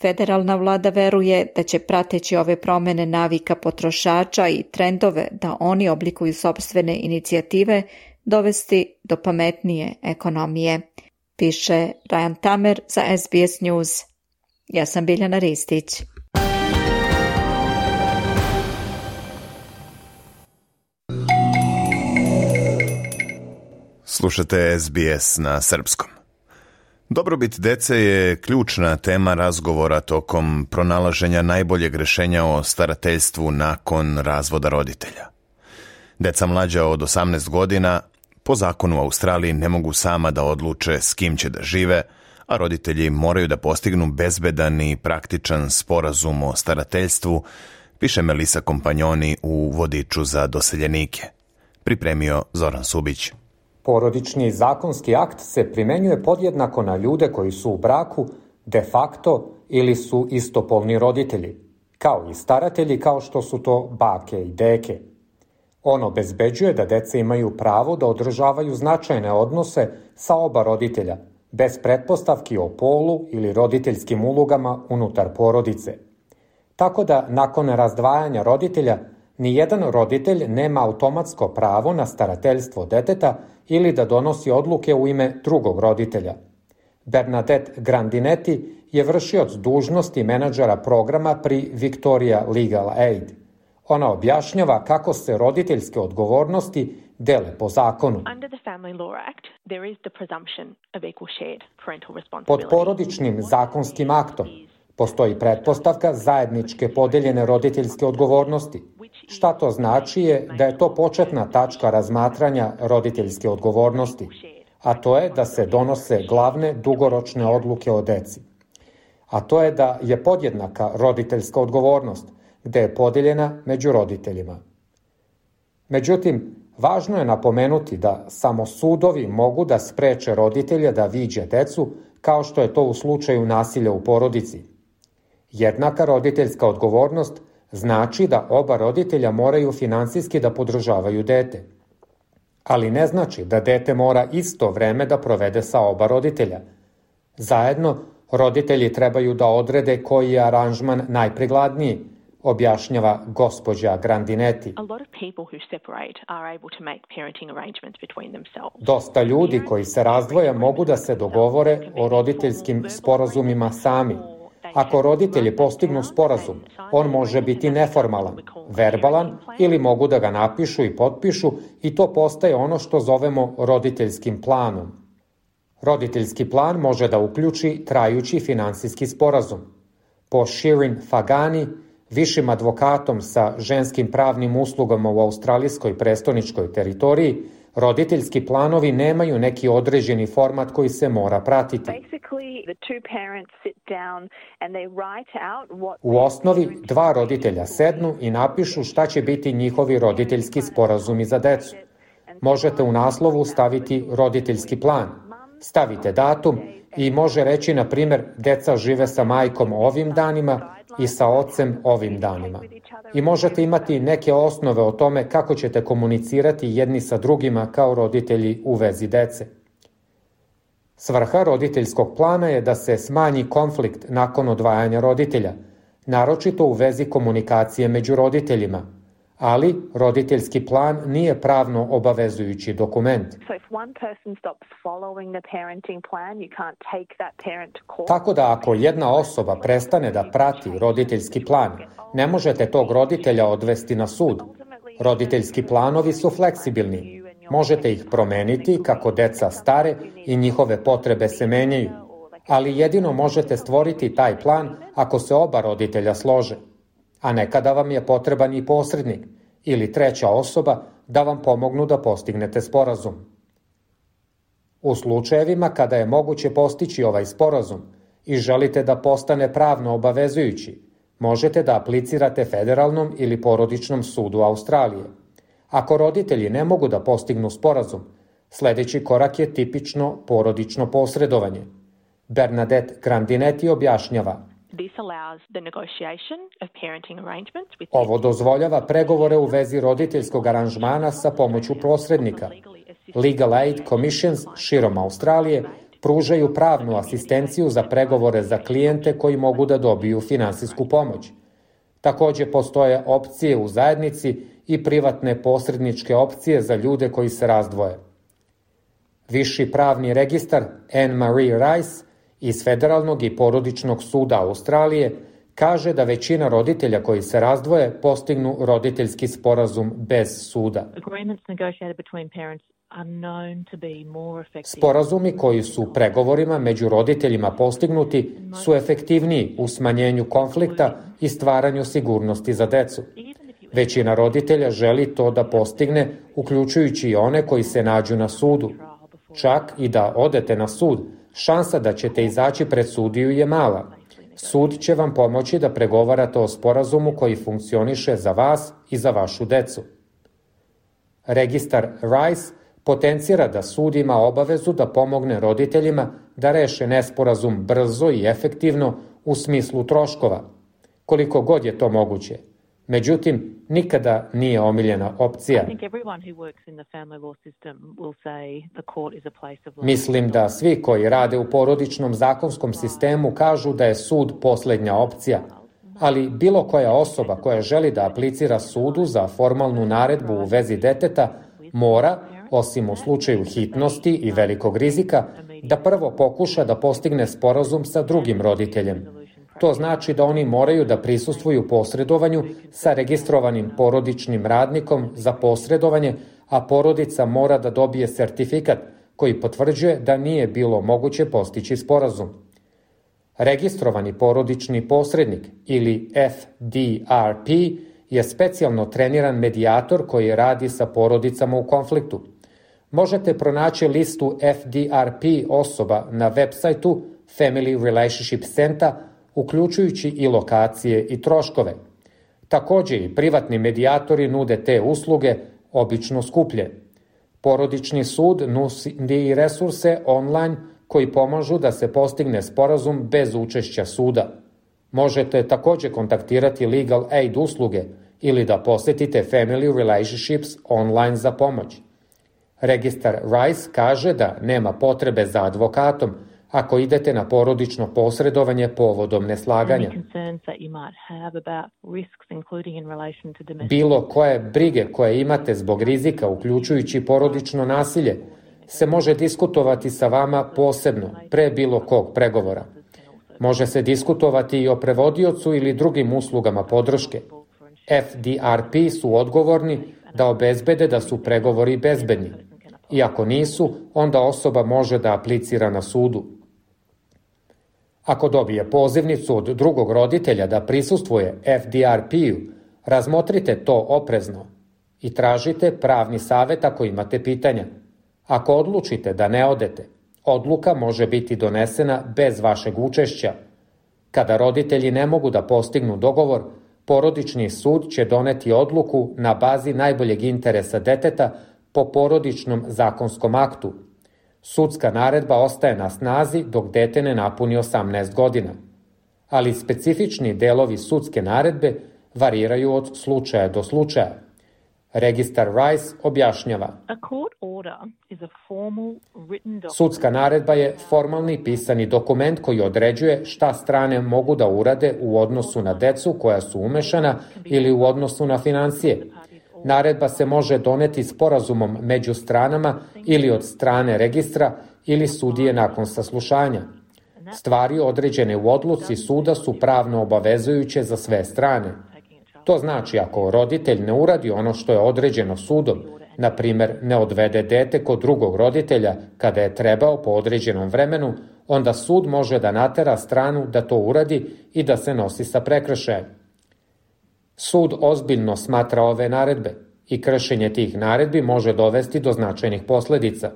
A: Federalna vlada veruje da će prateći ove promjene navika potrošača i trendove da oni oblikuju sopstvene inicijative dovesti do pametnije ekonomije, piše Ryan Tamer za SBS News. Ja sam Biljana Ristić.
C: Slušate SBS na srpskom. Dobrobit dece je ključna tema razgovora tokom pronalaženja najboljeg rješenja o starateljstvu nakon razvoda roditelja. Deca mlađa od 18 godina po zakonu u Australiji ne mogu sama da odluče s kim će da žive, a roditelji moraju da postignu bezbedan i praktičan sporazum o starateljstvu, piše Melisa Kompanjoni u vodiču za doseljenike. Pripremio Zoran Subić.
L: Porodični zakonski akt se primenjuje podjednako na ljude koji su u braku, de facto ili su istopolni roditelji, kao i staratelji kao što su to bake i deke. On obezbeđuje da deca imaju pravo da održavaju značajne odnose sa oba roditelja, bez pretpostavki o polu ili roditeljskim ulogama unutar porodice. Tako da, nakon razdvajanja roditelja, nijedan roditelj nema automatsko pravo na starateljstvo deteta ili da donosi odluke u ime drugog roditelja. Bernadette Grandinetti je vršioc dužnosti menadžera programa pri Victoria Legal Aid. Ona objašnjava kako se roditeljske odgovornosti dele po zakonu. Pod porodičnim zakonskim aktom postoji pretpostavka zajedničke podeljene roditeljske odgovornosti. Šta to znači je da je to početna tačka razmatranja roditeljske odgovornosti, a to je da se donose glavne dugoročne odluke o deci. A to je da je podjednaka roditeljska odgovornost, gde je podeljena među roditeljima. Međutim, važno je napomenuti da samo sudovi mogu da spreče roditelja da viđe decu, kao što je to u slučaju nasilja u porodici. Jednaka roditeljska odgovornost znači da oba roditelja moraju finansijski da podržavaju dete. Ali ne znači da dete mora isto vreme da provede sa oba roditelja. Zajedno, roditelji trebaju da odrede koji je aranžman najprikladniji, objašnjava gospođa Grandinetti. Dosta ljudi koji se razdvoje mogu da se dogovore o roditeljskim sporazumima sami. Ako roditelji postignu sporazum, on može biti neformalan, verbalan ili mogu da ga napišu i potpišu i to postaje ono što zovemo roditeljskim planom. Roditeljski plan može da uključi trajući finansijski sporazum. Po Shirin Fagani, višim advokatom sa ženskim pravnim uslugama u australijskoj prestoničkoj teritoriji, roditeljski planovi nemaju neki određeni format koji se mora pratiti. U osnovi, dva roditelja sednu i napišu šta će biti njihovi roditeljski sporazumi za decu. Možete u naslovu staviti roditeljski plan. Stavite datum i može reći, na primjer, deca žive sa majkom ovim danima i sa ocem ovim danima. I možete imati neke osnove o tome kako ćete komunicirati jedni sa drugima kao roditelji u vezi dece. Svrha roditeljskog plana je da se smanji konflikt nakon odvajanja roditelja, naročito u vezi komunikacije među roditeljima, ali roditeljski plan nije pravno obavezujući dokument. Tako da ako jedna osoba prestane da prati roditeljski plan, ne možete tog roditelja odvesti na sud. Roditeljski planovi su fleksibilni. Možete ih promeniti kako deca stare i njihove potrebe se menjaju, ali jedino možete stvoriti taj plan ako se oba roditelja slože. A nekada vam je potreban i posrednik ili treća osoba da vam pomognu da postignete sporazum. U slučajevima kada je moguće postići ovaj sporazum i želite da postane pravno obavezujući, možete da aplicirate federalnom ili porodičnom sudu Australije. Ako roditelji ne mogu da postignu sporazum, sledeći korak je tipično porodično posredovanje. Bernadette Grandinetti objašnjava. Ovo dozvoljava pregovore u vezi roditeljskog aranžmana sa pomoću posrednika. Legal Aid Commissions širom Australije pružaju pravnu asistenciju za pregovore za klijente koji mogu da dobiju finansijsku pomoć. Takođe postoje opcije u zajednici i privatne posredničke opcije za ljude koji se razdvoje. Viši pravni registar Anne Marie Rice iz Federalnog i porodičnog suda Australije kaže da većina roditelja koji se razdvoje postignu roditeljski sporazum bez suda. Sporazumi koji su pregovorima među roditeljima postignuti su efektivniji u smanjenju konflikta i stvaranju sigurnosti za decu. Većina roditelja želi to da postigne, uključujući i one koji se nađu na sudu. Čak i da odete na sud, šansa da ćete izaći pred sudiju je mala. Sud će vam pomoći da pregovarate o sporazumu koji funkcioniše za vas i za vašu decu. Registar Rice potencira da sud ima obavezu da pomogne roditeljima da reše nesporazum brzo i efektivno u smislu troškova, koliko god je to moguće. Međutim, nikada nije omiljena opcija. Mislim da svi koji rade u porodičnom zakonskom sistemu kažu da je sud poslednja opcija, ali bilo koja osoba koja želi da aplicira sudu za formalnu naredbu u vezi deteta mora, osim u slučaju hitnosti i velikog rizika, da prvo pokuša da postigne sporazum sa drugim roditeljem. To znači da oni moraju da prisustvuju posredovanju sa registrovanim porodičnim radnikom za posredovanje, a porodica mora da dobije sertifikat koji potvrđuje da nije bilo moguće postići sporazum. Registrovani porodični posrednik ili FDRP je specijalno treniran medijator koji radi sa porodicama u konfliktu. Možete pronaći listu FDRP osoba na web sajtu Family Relationship Center, uključujući i lokacije i troškove. Takođe i privatni medijatori nude te usluge, obično skuplje. Porodični sud nudi i resurse online koji pomažu da se postigne sporazum bez učešća suda. Možete takođe kontaktirati Legal Aid usluge ili da posetite Family Relationships online za pomoć. Registar Rice kaže da nema potrebe za advokatom ako idete na porodično posredovanje povodom neslaganja. Bilo koje brige koje imate zbog rizika, uključujući porodično nasilje, se može diskutovati sa vama posebno, pre bilo kog pregovora. Može se diskutovati i o prevodiocu ili drugim uslugama podrške. FDRP su odgovorni da obezbede da su pregovori bezbedni. I ako nisu, onda osoba može da aplicira na sudu. Ako dobije pozivnicu od drugog roditelja da prisustvuje FDRP-u, razmotrite to oprezno i tražite pravni savet ako imate pitanja. Ako odlučite da ne odete, odluka može biti donesena bez vašeg učešća. Kada roditelji ne mogu da postignu dogovor, porodični sud će doneti odluku na bazi najboljeg interesa deteta po porodičnom zakonskom aktu. Sudska naredba ostaje na snazi dok dete ne napuni 18 godina. Ali specifični delovi sudske naredbe variraju od slučaja do slučaja. Registar Rice objašnjava. Sudska naredba je formalni pisani dokument koji određuje šta strane mogu da urade u odnosu na decu koja su umešana ili u odnosu na finansije. Naredba se može doneti sporazumom među stranama ili od strane registra ili sudije nakon saslušanja. Stvari određene u odluci suda su pravno obavezujuće za sve strane. To znači ako roditelj ne uradi ono što je određeno sudom, na primer ne odvede dete kod drugog roditelja kada je trebao po određenom vremenu, onda sud može da natera stranu da to uradi i da se nosi sa prekršajem. Sud ozbiljno smatra ove naredbe i kršenje tih naredbi može dovesti do značajnih posledica.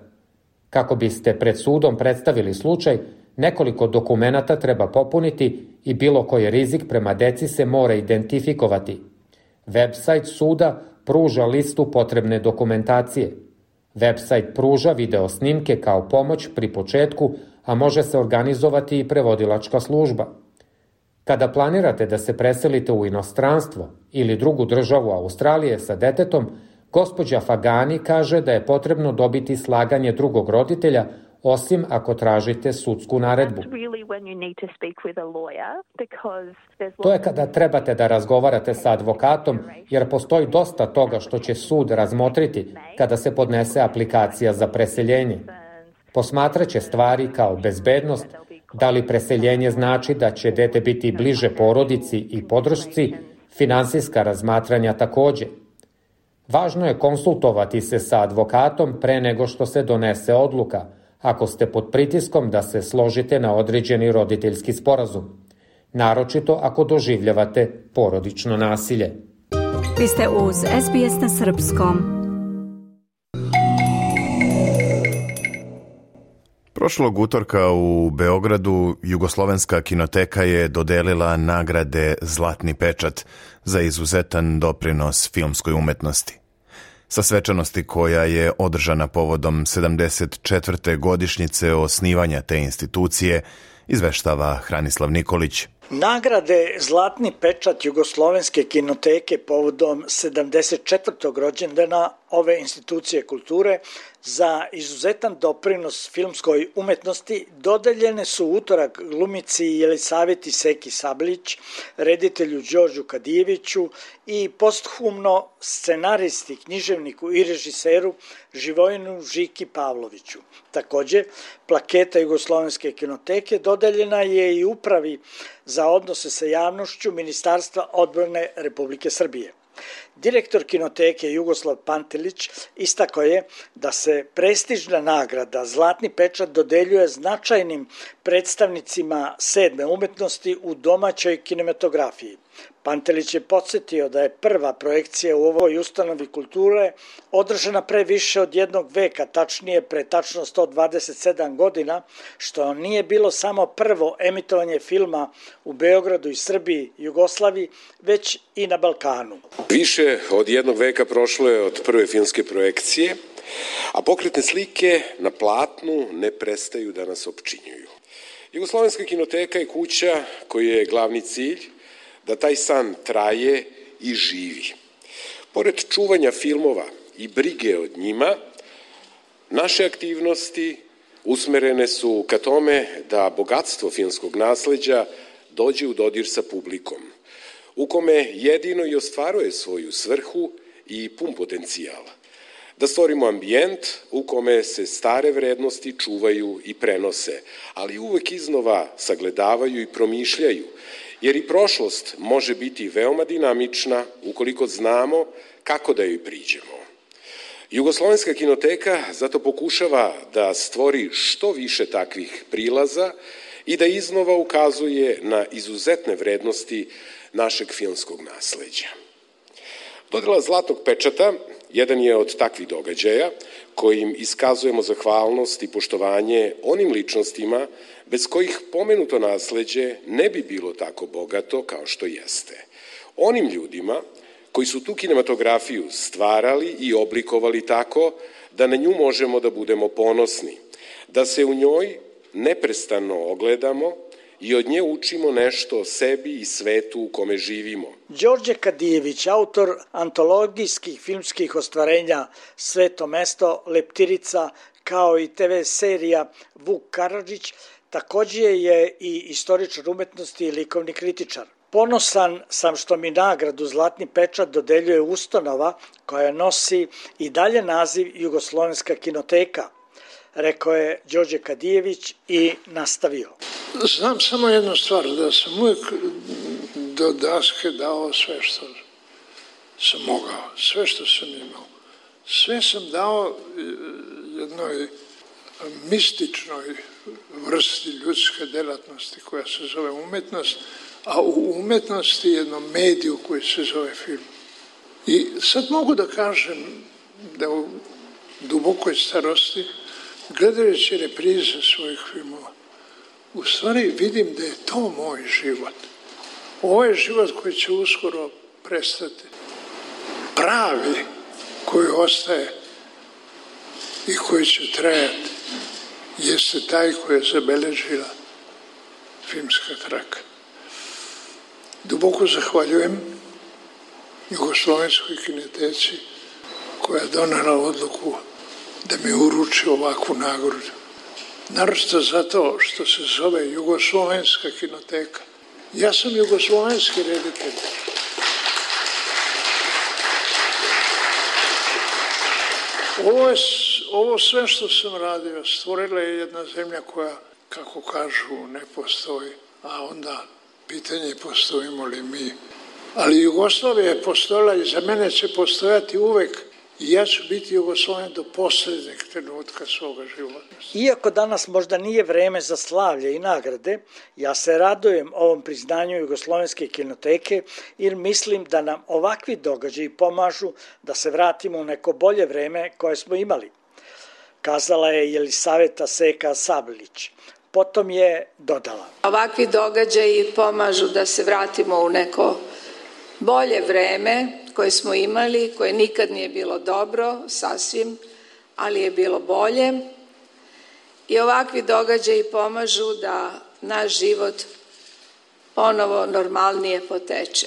L: Kako biste pred sudom predstavili slučaj, nekoliko dokumenata treba popuniti i bilo koji rizik prema deci se mora identifikovati. Website suda pruža listu potrebne dokumentacije. Website pruža video snimke kao pomoć pri početku, a može se organizovati i prevodilačka služba. Kada planirate da se preselite u inostranstvo ili drugu državu Australije sa detetom, gospođa Fagani kaže da je potrebno dobiti slaganje drugog roditelja, osim ako tražite sudsku naredbu. To je kada trebate da razgovarate sa advokatom, jer postoji dosta toga što će sud razmotriti kada se podnese aplikacija za preseljenje. Posmatraće stvari kao bezbednost, da li preseljenje znači da će dete biti bliže porodici i podršci, finansijska razmatranja takođe. Važno je konsultovati se sa advokatom pre nego što se donese odluka, ako ste pod pritiskom da se složite na određeni roditeljski sporazum, naročito ako doživljavate porodično nasilje.
A: Vi ste uz SBS na srpskom.
C: Prošlog utorka u Beogradu Jugoslovenska kinoteka je dodelila nagrade Zlatni pečat za izuzetan doprinos filmskoj umetnosti. Sa svečanosti koja je održana povodom 74. godišnjice osnivanja te institucije, izveštava Hranislav Nikolić.
M: Nagrade Zlatni pečat Jugoslovenske kinoteke povodom 74. rođendana ove institucije kulture za izuzetan doprinos filmskoj umetnosti dodeljene su utorak glumici Jelisaveti Seki Sablić, reditelju Đorđu Kadijeviću i posthumno scenaristi, književniku i režiseru Živojinu Žiki Pavloviću. Takođe, plaketa Jugoslovenske kinoteke dodeljena je i Upravi za odnose sa javnošću Ministarstva odbrane Republike Srbije. Direktor kinoteke Jugoslav Pantelić istakao je da se prestižna nagrada Zlatni pečat dodeljuje značajnim predstavnicima sedme umetnosti u domaćoj kinematografiji. Pantelić je podsjetio da je prva projekcija u ovoj ustanovi kulture održana pre više od jednog veka, tačnije pre tačno 127 godina, što nije bilo samo prvo emitovanje filma u Beogradu i Srbiji, Jugoslaviji, već i na Balkanu.
N: Više od jednog veka prošlo je od prve filmske projekcije, a pokretne slike na platnu ne prestaju da nas opčinjuju. Jugoslovenska kinoteka je kuća koji je glavni cilj da taj san traje i živi. Pored čuvanja filmova i brige od njima, naše aktivnosti usmerene su ka tome da bogatstvo filmskog nasleđa dođe u dodir sa publikom, u kome jedino i ostvaruje svoju svrhu i pun potencijal. Da stvorimo ambijent u kome se stare vrednosti čuvaju i prenose, ali uvek iznova sagledavaju i promišljaju, jer i prošlost može biti veoma dinamična ukoliko znamo kako da joj priđemo. Jugoslovenska kinoteka zato pokušava da stvori što više takvih prilaza i da iznova ukazuje na izuzetne vrednosti našeg filmskog nasleđa. Dodela Zlatnog pečata jedan je od takvih događaja kojim iskazujemo zahvalnost i poštovanje onim ličnostima bez kojih pomenuto nasleđe ne bi bilo tako bogato kao što jeste. Onim ljudima koji su tu kinematografiju stvarali i oblikovali tako da na nju možemo da budemo ponosni, da se u njoj neprestano ogledamo i od nje učimo nešto o sebi i svetu u kome živimo.
M: Đorđe Kadijević, autor antologijskih filmskih ostvarenja Sveto mesto, Leptirica, kao i TV serija Vuk Karadžić, takođe je i istoričar umetnosti i likovni kritičar. Ponosan sam što mi nagradu Zlatni pečat dodeljuje ustanova koja nosi i dalje naziv Jugoslovenska kinoteka, rekao je Đorđe Kadijević i nastavio.
O: Znam samo jednu stvar, da sam uvijek do daske dao sve što sam mogao, sve što sam imao. Sve sam dao jednoj mističnoj vrsti ljudske delatnosti koja se zove umetnost, a u umetnosti jednom mediju koji se zove film. I sad mogu da kažem da u dubokoj starosti, gledajući reprize svojih filmova, u stvari vidim da je to moj život. Ovo je život koji će uskoro prestati. Pravi koji ostaje i koji će trajati jeste taj koji je zabeležila filmska traka. Duboko zahvaljujem Jugoslovenskoj kinoteci koja je donela odluku da mi uruči ovakvu nagradu. Naročito zato što se zove Jugoslovenska kinoteka. Ja sam jugoslovenski reditelj. Ovo sve što sam radio stvorila je jedna zemlja koja, kako kažu, ne postoji, a onda pitanje je postojimo li mi. Ali Jugoslavija je postojala i za mene će postojati uvek i ja ću biti Jugosloven do posljednjeg trenutka svoga života.
M: Iako danas možda nije vreme za slavlje i nagrade, ja se radujem ovom priznanju Jugoslovenske kinoteke jer mislim da nam ovakvi događaji pomažu da se vratimo u neko bolje vreme koje smo imali, kazala je Jelisaveta Seka Sablić. Potom je dodala.
P: Ovakvi događaji pomažu da se vratimo u neko bolje vreme koje smo imali, koje nikad nije bilo dobro, sasvim, ali je bilo bolje. I ovakvi događaji pomažu da naš život ponovo normalnije poteče.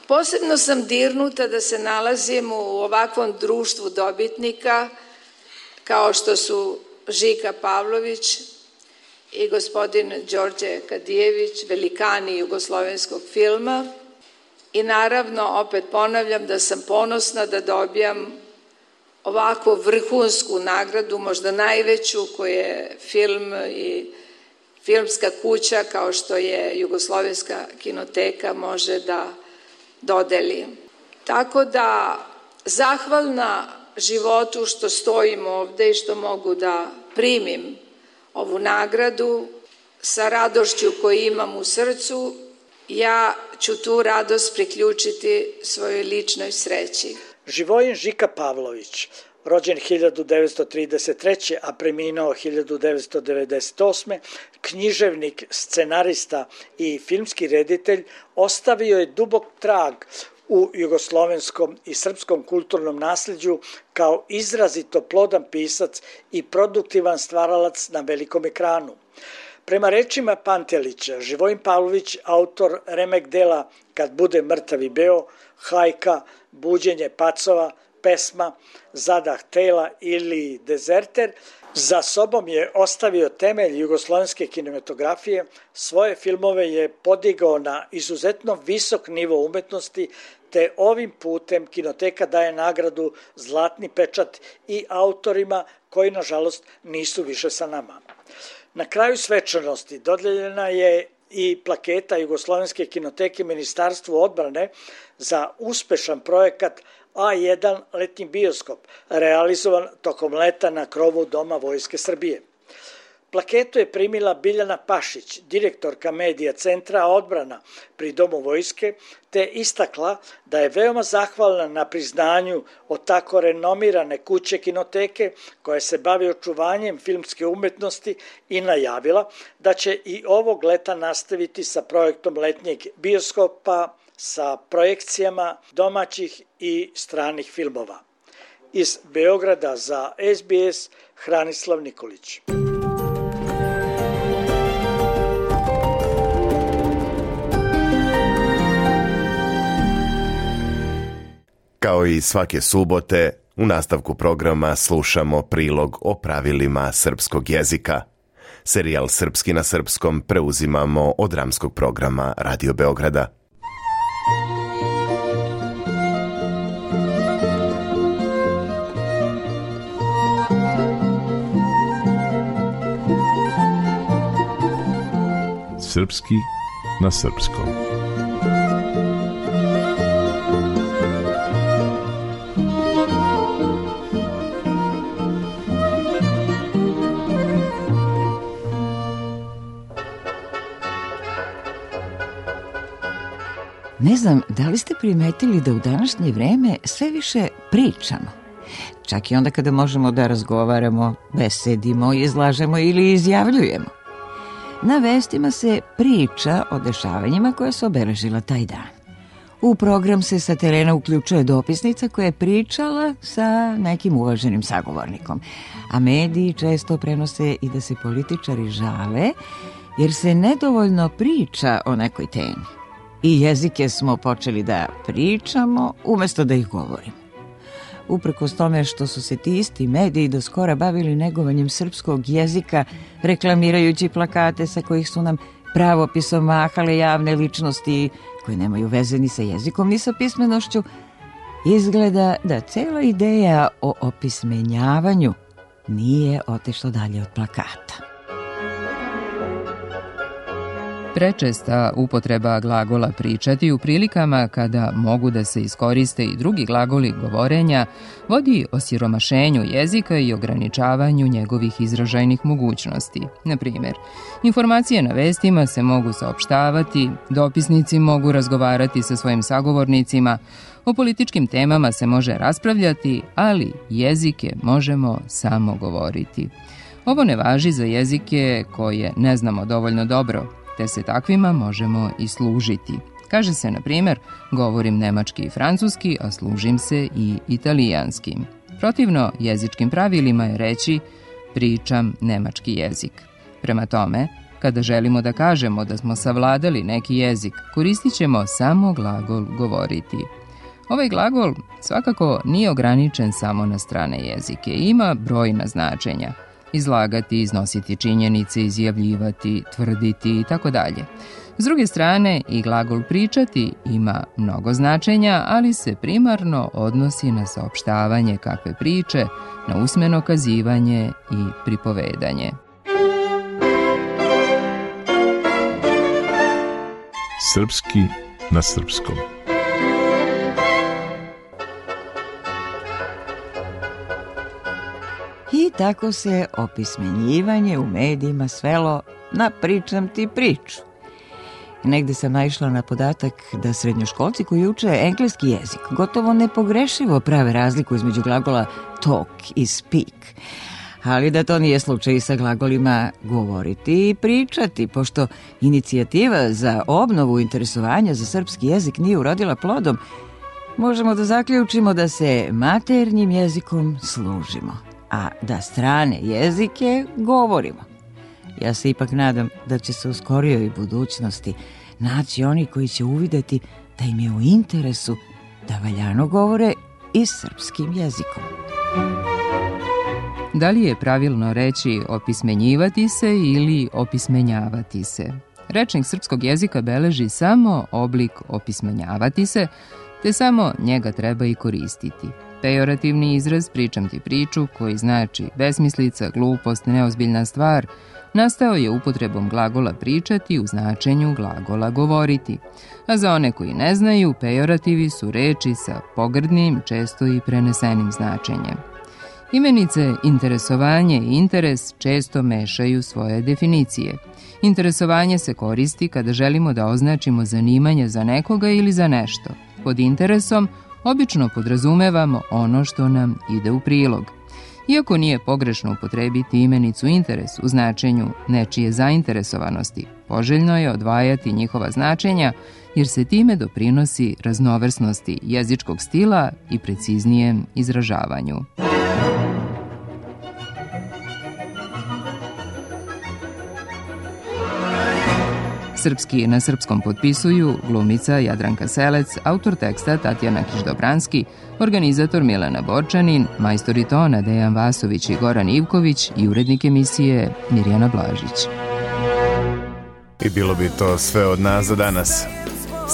P: Posebno sam dirnuta da se nalazim u ovakvom društvu dobitnika kao što su Žika Pavlović i gospodin Đorđe Kadijević, velikani jugoslovenskog filma. I naravno, opet ponavljam da sam ponosna da dobijam ovakvu vrhunsku nagradu, možda najveću koju je film i filmska kuća kao što je Jugoslovenska kinoteka može da dodeli. Tako da, zahvalna životu što stojim ovde i što mogu da primim ovu nagradu sa radošću koju imam u srcu, ja ću tu radost priključiti svojoj ličnoj sreći.
M: Živojin Žika Pavlović, rođen 1933. a preminuo 1998. književnik, scenarista i filmski reditelj, ostavio je dubok trag u jugoslovenskom i srpskom kulturnom nasleđu kao izrazito plodan pisac i produktivan stvaralac na velikom ekranu. Prema rečima Pantelića, Živojin Pavlović, autor remek dela Kad bude mrtav i beo, Hajka, Buđenje pacova, pesma Zadah tela ili Dezerter, za sobom je ostavio temelj jugoslovenske kinematografije, svoje filmove je podigao na izuzetno visok nivo umetnosti, te ovim putem kinoteka daje nagradu Zlatni pečat i autorima koji, nažalost, nisu više sa nama. Na kraju svečanosti dodeljena je i plaketa Jugoslovenske kinoteke Ministarstvu odbrane za uspešan projekat A1 letnji bioskop, realizovan tokom leta na krovu Doma Vojske Srbije. Plaketu je primila Biljana Pašić, direktorka medija Centra odbrana pri Domu Vojske, te istakla da je veoma zahvalna na priznanju od tako renomirane kuće kinoteke koja se bavi očuvanjem filmske umetnosti i najavila da će i ovog leta nastaviti sa projektom letnjeg bioskopa sa projekcijama domaćih i stranih filmova. Iz Beograda za SBS, Hranislav Nikolić.
C: Kao i svake subote, u nastavku programa slušamo prilog o pravilima srpskog jezika. Serijal Srpski na srpskom preuzimamo od dramskog programa Radio Beograda.
Q: Srpski na srpskom.
R: Ne znam, da li ste primetili da u današnje vreme sve više pričamo? Čak i onda kada možemo da razgovaramo, besedimo, izlažemo ili izjavljujemo. Na vestima se priča o dešavanjima koja su obeležila taj dan. U program se sa terena uključuje dopisnica koja je pričala sa nekim uvaženim sagovornikom. A mediji često prenose i da se političari žale jer se nedovoljno priča o nekoj temi. I jezike smo počeli da pričamo umesto da ih govorimo. Uprkos tome što su se ti isti mediji do skora bavili negovanjem srpskog jezika, reklamirajući plakate sa kojih su nam pravopisom mahale javne ličnosti koje nemaju veze ni sa jezikom ni sa pismenošću, izgleda da cela ideja o opismenjavanju nije otišla dalje od plakata.
S: Prečesta upotreba glagola pričati u prilikama kada mogu da se iskoriste i drugi glagoli govorenja vodi osiromašenju jezika i ograničavanju njegovih izražajnih mogućnosti. Na primjer, informacije na vestima se mogu saopštavati, dopisnici mogu razgovarati sa svojim sagovornicima, o političkim temama se može raspravljati, ali jezike možemo samo govoriti. Ovo ne važi za jezike koje ne znamo dovoljno dobro, te se takvima možemo i služiti. Kaže se, na primjer, govorim nemački i francuski, a služim se i italijanskim. Protivno jezičkim pravilima je reći pričam nemački jezik. Prema tome, Kada želimo da kažemo da smo savladali neki jezik, koristit ćemo samo glagol govoriti. Ovaj glagol svakako nije ograničen samo na strane jezike, ima brojna značenja. Izlagati, iznositi činjenice, izjavljivati, tvrditi itd. S druge strane, i glagol pričati ima mnogo značenja, ali se primarno odnosi na saopštavanje kakve priče, na usmeno kazivanje i pripovedanje.
Q: Srpski na srpskom.
R: I tako se opismenjivanje u medijima svelo na pričam ti priču. Negde sam naišla na podatak da srednjoškolci koji uče engleski jezik gotovo nepogrešivo prave razliku između glagola talk i speak. Ali da to nije slučaj i sa glagolima govoriti i pričati, pošto inicijativa za obnovu interesovanja za srpski jezik nije urodila plodom, možemo da zaključimo da se maternjim jezikom služimo, a da strane jezike govorimo. Ja se ipak nadam da će se u skorijoj budućnosti naći oni koji će uvideti da im je u interesu da valjano govore i srpskim jezikom.
S: Da li je pravilno reći opismenjivati se ili opismenjavati se? Rečnik srpskog jezika beleži samo oblik opismenjavati se, te samo njega treba i koristiti. Pejorativni izraz pričam ti priču, koji znači besmislica, glupost, neozbiljna stvar, nastao je upotrebom glagola pričati u značenju glagola govoriti. A za one koji ne znaju, pejorativi su reči sa pogrdnim, često i prenesenim značenjem. Imenice interesovanje i interes često mešaju svoje definicije. Interesovanje se koristi kada želimo da označimo zanimanje za nekoga ili za nešto. Pod interesom obično podrazumevamo ono što nam ide u prilog. Iako nije pogrešno upotrebiti imenicu interes u značenju nečije zainteresovanosti, poželjno je odvajati njihova značenja jer se time doprinosi raznovrsnosti jezičkog stila i preciznijem izražavanju. Srpski na srpskom potpisuju glumica Jadranka Selec, autor teksta Tatjana Kiš-Dobranski, organizator Milana Borčanin, majstori tona Dejan Vasović i Goran Ivković i urednik emisije Mirjana Blažić.
C: I bilo bi to sve od nas za danas.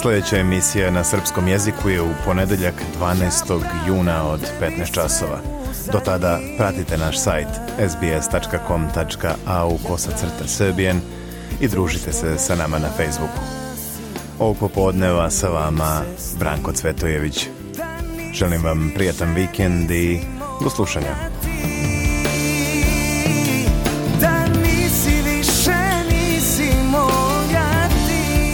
C: Sljedeća emisija na srpskom jeziku je u ponedeljak 12. juna od 15 časova. Do tada pratite naš sajt sbs.com.au/Serbian i družite se sa nama na Facebooku. Ovog popodneva sa vama Branko Cvetojević. Želim vam prijatan vikend i do slušanja.
T: Da nisi više, nisi moja ti.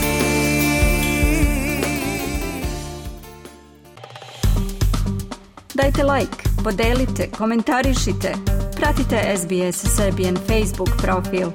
A: Dajte like, podelite, komentarišite. Pratite SBS Serbian Facebook profil.